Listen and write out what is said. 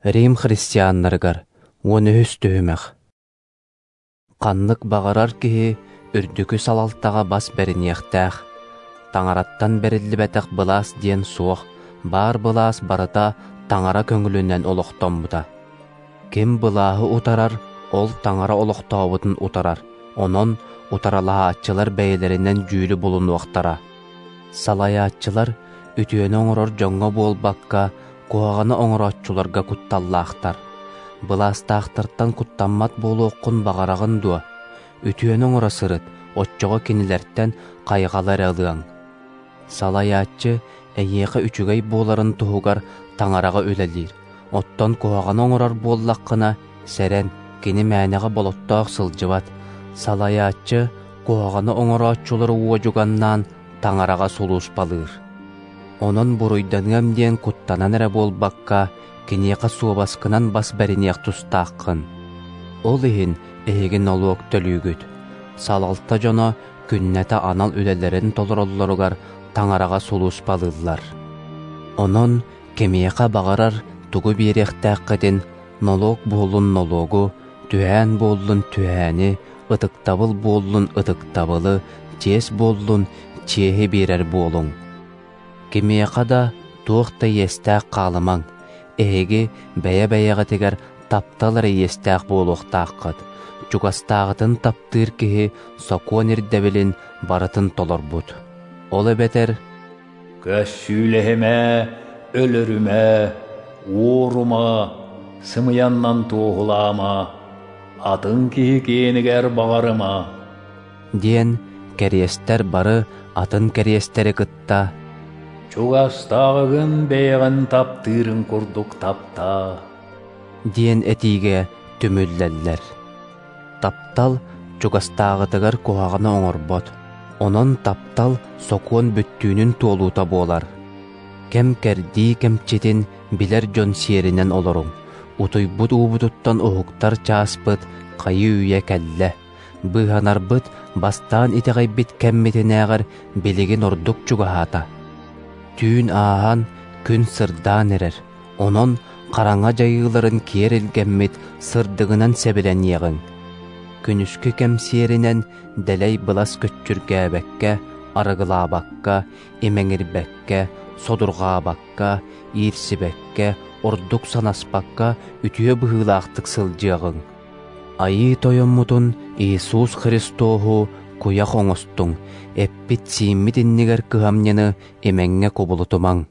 Рим христианнарыгар 13 түһүмэх. Ханнык баҕарар киһи үрдүкү салалтаҕа бас бэриниэхтээх. Таҥараттан бэриллибэтэх былаас диэн суох, баар былаас барыта Таҥара көҥүлүнэн олохтоммута. Ким былааһы утарар, ол Таҥара олохтообутун утарар, онон утаралаһааччылар бэйэлэринэн дьүүлү булунуохтара. Салайааччылар үтүөнү оҥорор дьоҥҥо буолбакка, куһаҕаны оҥорооччуларга кутталлаахтар. Былаастаахтартан куттаммат буолуоххун баҕараҕын дуо? Үтүөнү оҥоро сырыт, оччоҕо кинилэртэн хайҕалы эрэ ылыаҥ. Салайааччы эйиэхэ үчүгэй буоларын туһугар Таҥараҕа үлэлиир, оттон куһаҕаны оҥорор буоллаххына, сэрэн, кини мээнэҕэ болоттоох сылдьыбат. Салайааччы куһаҕаны оҥорооччулары уодьуганнаан Таҥараҕа сулууспалыыр. Онон буруйданыам диэн куттанан эрэ буолбакка, киниэхэ суобаскынан бас бэриниэх тустааххын. Ол иһин эһиги нолуок төлүүгүт. Салалта дьоно күннэтэ анал үлэлэрин толороллоругар Таҥараҕа сулууспалыыллар. Онон кимиэхэ баҕарар тугу биэриэхтээххитин нолуок буоллун нолуогу, түһээн буоллун түһээни, ытыктабыл буоллун ытыктабылы, чиэс буоллун чиэһи биэрэр буолуҥ. Кимиэхэ да туох да иэстээх хаалымаҥ, эһиги бэйэ-бэйэҕитигэр таптал эрэ иэстээх буолуохтааххыт. Чугастааҕытын таптыыр киһи сокуон ирдэбилин барытын толорбут. Ол эбэтэр «Көссүүлэһимэ, өлөрүмэ, уорума, сымыйаннан туоһулаама, атын киһи киэнигэр баҕарыма» диэн кэриэстэр бары атын кэриэстэри кытта «Чугастааҕыгын бэйэҕин таптыырын курдук таптаа» диэн этиигэ түмүллэллэр. Таптал чугастааҕытыгар куһаҕаны оҥорбот, онон таптал сокуон бүттүүнүн туолуута буолар. Кэм-кэрдии кэмчитин билэр дьон сиэринэн олоруҥ, утуйбут уубутуттан уһуктар чааспыт хайыы-үйэ кэллэ. Быыһанарбыт бастаан итэҕэйбит кэммитинээҕэр билигин ордук чугаһаата. Түүн ааһан, күн сырдаан эрэр, онон хараҥа дьайыыларын киэр илгэммит сырдыгынан сэбилэниэҕиҥ. Күнүскү кэм сиэринэн дэлэй былас көччүргээбэккэ, арыгылаабакка, имэҥирбэккэ, содурҕаабакка, иирсибэккэ, ордук санаспакка үтүө быһыылаахтык сылдьыаҕыҥ. Айыы Тойоммутун Иисус Христоһу куйах оҥостуҥ, эппит-сииммит иннигэр кыһамньыны имэҥҥэ кубулутумаҥ.